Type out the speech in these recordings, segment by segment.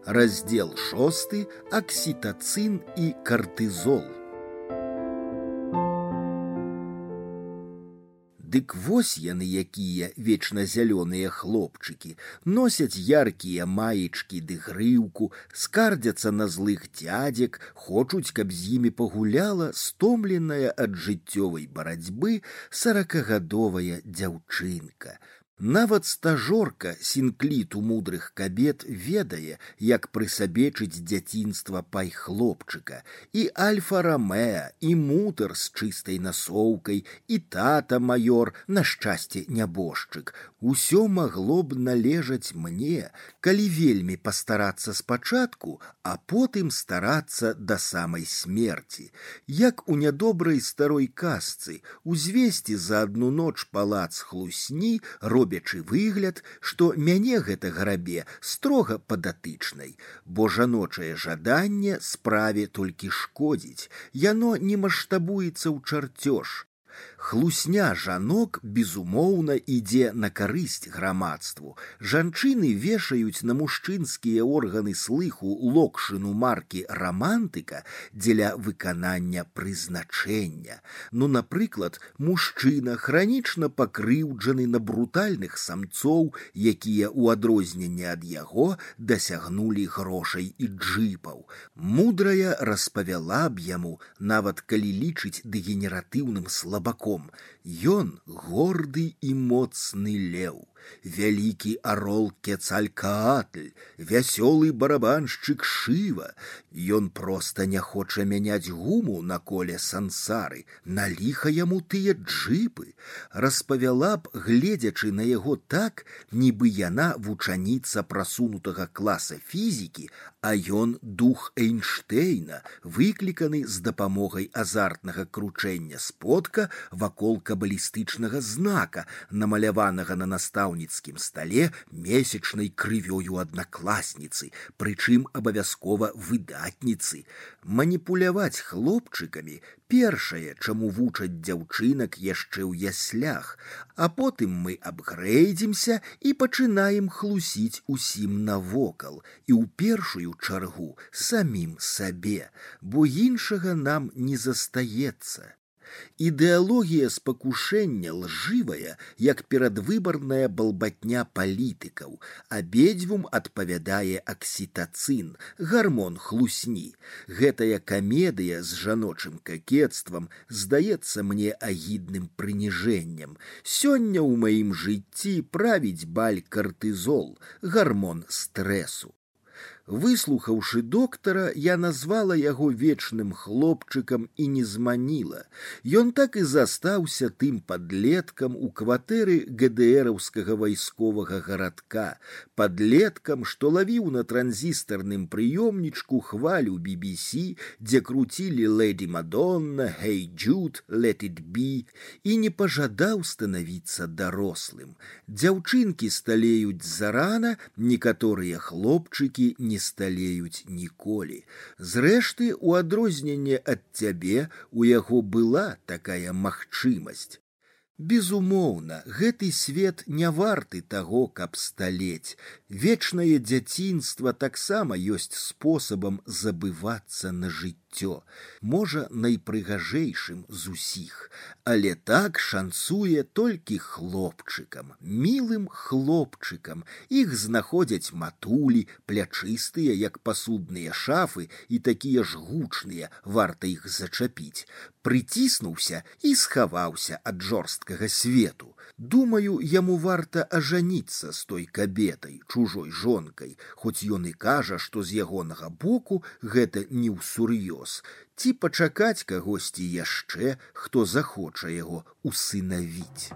Раздел 6. Окситоцин и кортизол. Дык вось яны якія вечназялёныя хлопчыкі, носяць яркія маечкі ды грыўку, скардзяцца на злых дзядзек, хочуць, каб з імі пагуляла стомленая ад жыццёвай барацьбы 40гадовая дзяўчынка. Нават стажорка сінкліту мудрых кабет ведае, як прысабечыць дзяцінства пай хлопчыка. І Альфа-Ромеа, і мутар з чыстай насоўкай, і тата маёр, на шчасце нябожчык. Усё магло б належаць мне, калі вельмі пастарацца спачатку, а потым старацца да самай смерці. Як у нядобрай старой казцы, узвесці за адну ноч палац хлусні, робячы выгляд, што мяне гэта грабе строга падатычнай, бо жаночае жаданне справе толькі шкодзіць, яно не маштабуецца ў чарцёж. Хлусня жанок, безумоўна, ідзе на карысць грамадству. Жанчыны вешаюць на мужчынскія органы слыху локшыну маркі рамантыка дзеля выканання прызначэння. Ну, напрыклад, мужчына хранічна пакрыўджаны на брутальных самцоў, якія ў адрозненне ад яго дасягнулі грошай і джыпаў. Мудрая распавяла б яму, нават калі лічыць дэгенератыўным слабаком, ён горды і моцны леў, вялікі арол Кецалькаатль, вясёлы барабаншчык Шыва. Ён проста не хоча мяняць гуму на коле сансары, на ліха яму тыя джыпы. Распавяла б, гледзячы на яго так, нібы яна вучаніца прасунутага класа фізікі, а ён дух Эйнштэйна, выкліканы з дапамогай азартнага кручэння сподка вакол кабалістычнага знака, намаляванага на настаўніцкім стале месячнай крывёю аднакласніцы, прычым абавязкова выдатніцы. Маніпуляваць хлопчыкамі першае, чаму вучаць дзяўчынак яшчэ ў яслях, а потым мы апгрэйдзімся і пачынаем хлусіць усім навокал, і ў першую чаргу самім сабе, бо іншага нам не застаецца. Ідэалогія спакушэння лжывая, як перадвыбарная балбатня палітыкаў. Абедзвюм адпавядае аксітацын, гармон хлусні. Гэтая камедыя з жаночым какецтвам здаецца мне агідным прыніжэннем. Сёння ў маім жыцці правіць баль картызол, гармон стрэсу. Выслухаўшы доктара, я назвала яго вечным хлопчыкам і не зманіла. Ён так і застаўся тым падлеткам у кватэры ГДРаўскага вайсковага гарадка, падлеткам, што лавіў на транзістарным прыёмнічку хвалю BBC, дзе круцілі «Лэдзі Мадонна», «Hey Jude», «Let it be», і не пажадаў станавіцца дарослым. Дзяўчынкі сталеюць зарана, некаторыя хлопчыкі не сталеюць ніколі. Зрэшты, у адрозненне ад цябе, у яго была такая магчымасць. Безумоўна, гэты свет не варты таго, каб сталець. Вечнае дзяцінства таксама ёсць спосабам забывацца на жыццё, можа, найпрыгажэйшым з усіх, але так шанцуе толькі хлопчыкам, мілым хлопчыкам. Іх знаходзяць матулі, плячыстыя, як пасудныя шафы, і такія ж гучныя, варта іх зачапіць. Прыціснуўся і схаваўся ад жорсткага свету. Думаю, яму варта ажаніцца з той кабетай, чужой жонкай, хоць ён і кажа, што з ягонага боку гэта не ўсур'ёз. Ці пачакаць кагосьці яшчэ, хто захоча яго усынавіць.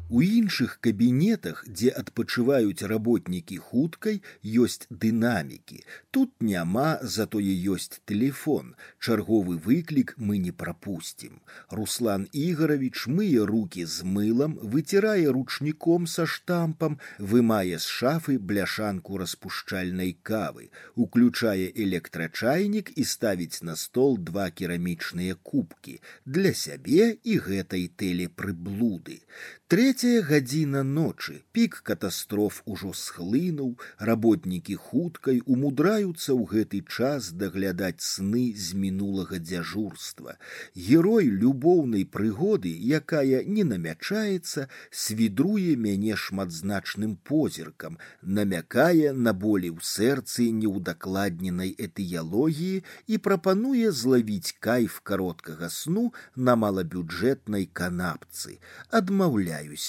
У іншых кабінетах, дзе адпачываюць работнікі хуткай, ёсць дынамікі. Тут няма, затое ёсць тэлефон. Чарговы выклік мы не прапусцім. Руслан Ігорович мые рукі з мылам, выцірае ручніком са штампам, вымае з шафы бляшанку распушчальнай кавы, уключае электрачайнік і ставіць на стол 2 керамічныя кубкі для сябе і гэтай тэлепрыблуды. 3 гадзіна ночы, пік катастроф ужо схлынуў, работнікі хуткай умудраюцца ў гэты час даглядаць сны з мінулага дзяжурства. Герой любоўнай прыгоды, якая не намячаецца, свідруе мяне шматзначным позіркам, намякае на болі ў сэрцы неўдакладненай этыялогіі і прапануе злавіць кайф кароткага сну на малабюджэтнай канапцы. Адмаўляюся.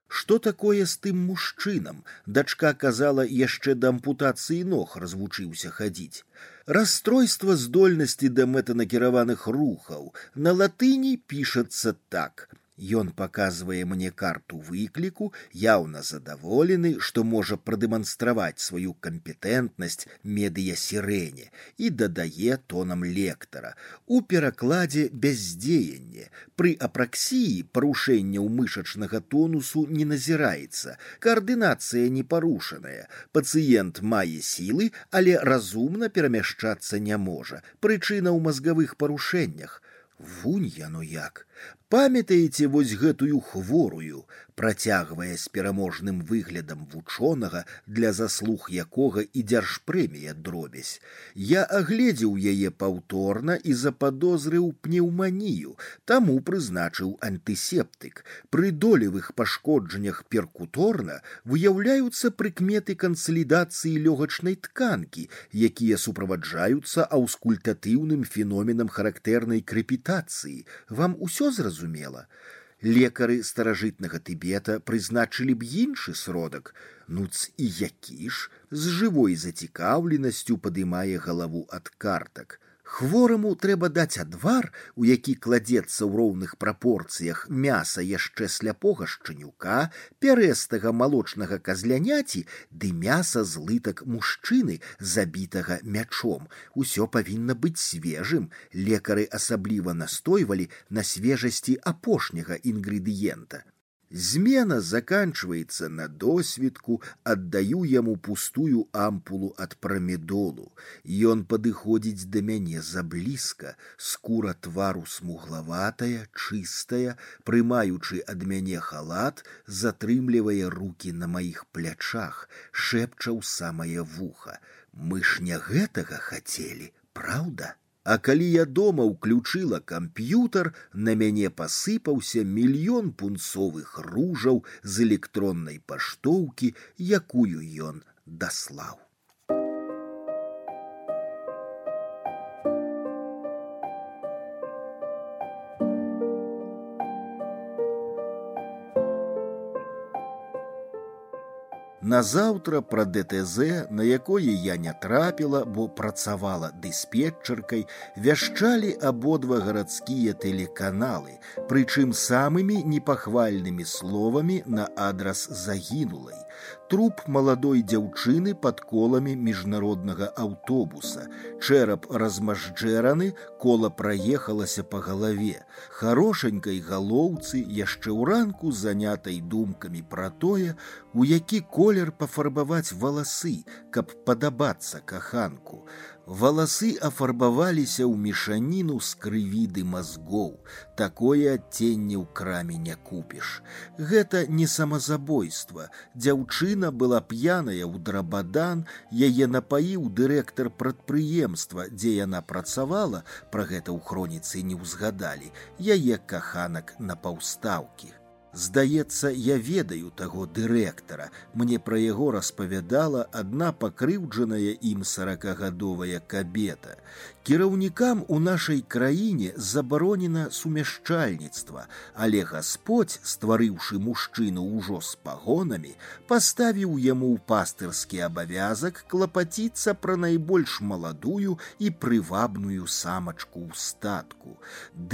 Што такое з тым мужчынам? Дачка казала, яшчэ да ампутацыі ног развучыўся хадзіць. Расстройства здольнасці да мэтанакіраваных рухаў. На латыні пішацца так. Ён паказвае мне карту выкліку, яўна задаволены, што можа прадэманстраваць сваю кампетэнтнасць медыясірэне, і дадае тонам лектара. У перакладзе бяздзеянне. Пры апраксіі парушэнняў мышачнага тонусу не назіраецца. Каардынацыя не парушаная. Пацыент мае сілы, але разумна перамяшчацца не можа. Прычына ў мазгавых парушэннях. Вунь яно як. Памятаеце вось гэтую хворую, працягвае з пераможным выглядам вучонага, для заслуг якога і дзяржпрэмія дробязь. Я агледзеў яе паўторна і западозрыў пнеўманію, таму прызначыў антысептык. Пры долевых пашкоджаннях перкуторна выяўляюцца прыкметы кансалідацыі лёгачнай тканкі, якія суправаджаюцца аўскультатыўным феноменам характэрнай крэпітацыі. Вам усё зразумела? Лекары старажытнага Тыбета прызначылі б іншы сродак. Нуц і які ж? З жывой зацікаўленасцю падымае галаву ад картак. Хвораму трэба даць адвар, у які кладзецца ў роўных прапорцыях мяса яшчэ сляпога шчанюка, пярэстага малочнага казляняці ды мяса з лытак мужчыны, забітага мячом. Усё павінна быць свежым. Лекары асабліва настойвалі на свежасці апошняга інгрэдыента. Змена заканчваецца на досвідку, аддаю яму пустую ампулу ад прамедолу. Ён падыходзіць да мяне заблізка, скура твару смуглаватая, чыстая, прымаючы ад мяне халат, затрымлівае рукі на маіх плячах, шэпча ў самае вуха. Мы ж не гэтага хацелі, праўда? А калі я дома ўключыла камп'ютар, на мяне пасыпаўся мільён пунцовых ружаў з электроннай паштоўкі, якую ён даслаў. Назаўтра пра ДТЗ, на якое я не трапіла, бо працавала дыспетчаркай, вяшчалі абодва гарадскія тэлеканалы, прычым самымі непахвальнымі словамі на адрас загінулай. Труп маладой дзяўчыны пад коламі міжнароднага аўтобуса. Чэрап размажджэраны, кола праехалася па галаве. Харошанькай галоўцы яшчэ ўранку занятай думкамі пра тое, у які колер пафарбаваць валасы, каб падабацца каханку. Валасы афарбаваліся ў мешаніну з крыві ды мазгоў. Такое адценне ў краме не купіш. Гэта не самазабойства. Дзяўчына была п'яная ў драбадан, яе напаіў дырэктар прадпрыемства, дзе яна працавала, пра гэта ў хроніцы не ўзгадалі, яе каханак на паўстаўкі. Здаецца, я ведаю таго дырэктара. Мне пра яго распавядала адна пакрыўджаная ім 40-гадовая кабета. Кіраўнікам у нашай краіне забаронена сумяшчальніцтва, але Гасподзь, стварыўшы мужчыну ўжо з пагонамі, паставіў яму ў пастырскі абавязак клапаціцца пра найбольш маладую і прывабную самачку ў статку.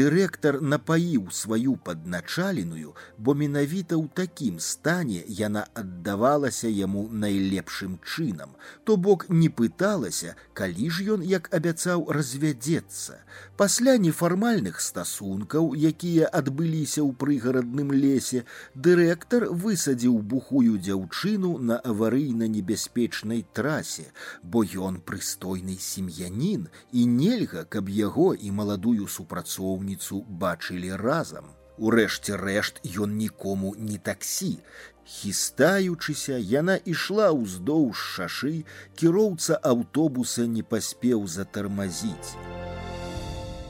Дырэктар напаіў сваю падначаленую, бо менавіта ў такім стане яна аддавалася яму найлепшым чынам, то бок не пыталася, калі ж ён, як абяцаў, развядзецца. Пасля нефармальных стасункаў, якія адбыліся ў прыгарадным лесе, дырэктар высадзіў бухую дзяўчыну на аварыйна-небяспечнай трасе, бо ён прыстойны сем'янін, і нельга, каб яго і маладую супрацоўніцу бачылі разам. Урэшце рэшт ён нікому не таксі. Хістаючыся, яна ішла ўздоўж шашы, кіроўца аўтобуса не паспеў затармазіць.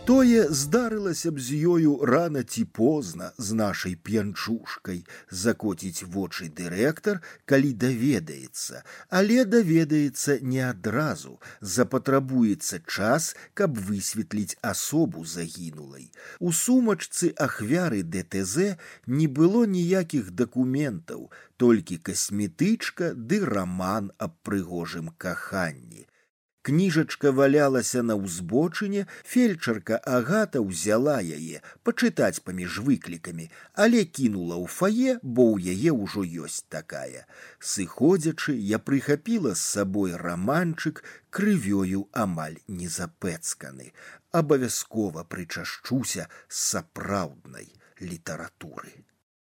Тое здарылася б з ёю рана ці позна з нашай п'янчушкай, закоціць вочы дырэктар, калі даведаецца, але даведаецца не адразу, запатрабуецца час, каб высветліць асобу загінулай. У сумачцы ахвяры ДТЗ не было ніякіх дакументаў, толькі касметычка ды раман аб прыгожым каханні. Кніжачка валялася на ўзбочыне, фельчарка Агата ўзяла яе пачытаць паміж выклікамі, але кінула ў фае, бо ў яе ўжо ёсць такая. Сыходзячы, я прыхапіла з сабой раманчык, крывёю амаль не запэцканы. Абавязкова прычашчуся з сапраўднай літаратуры.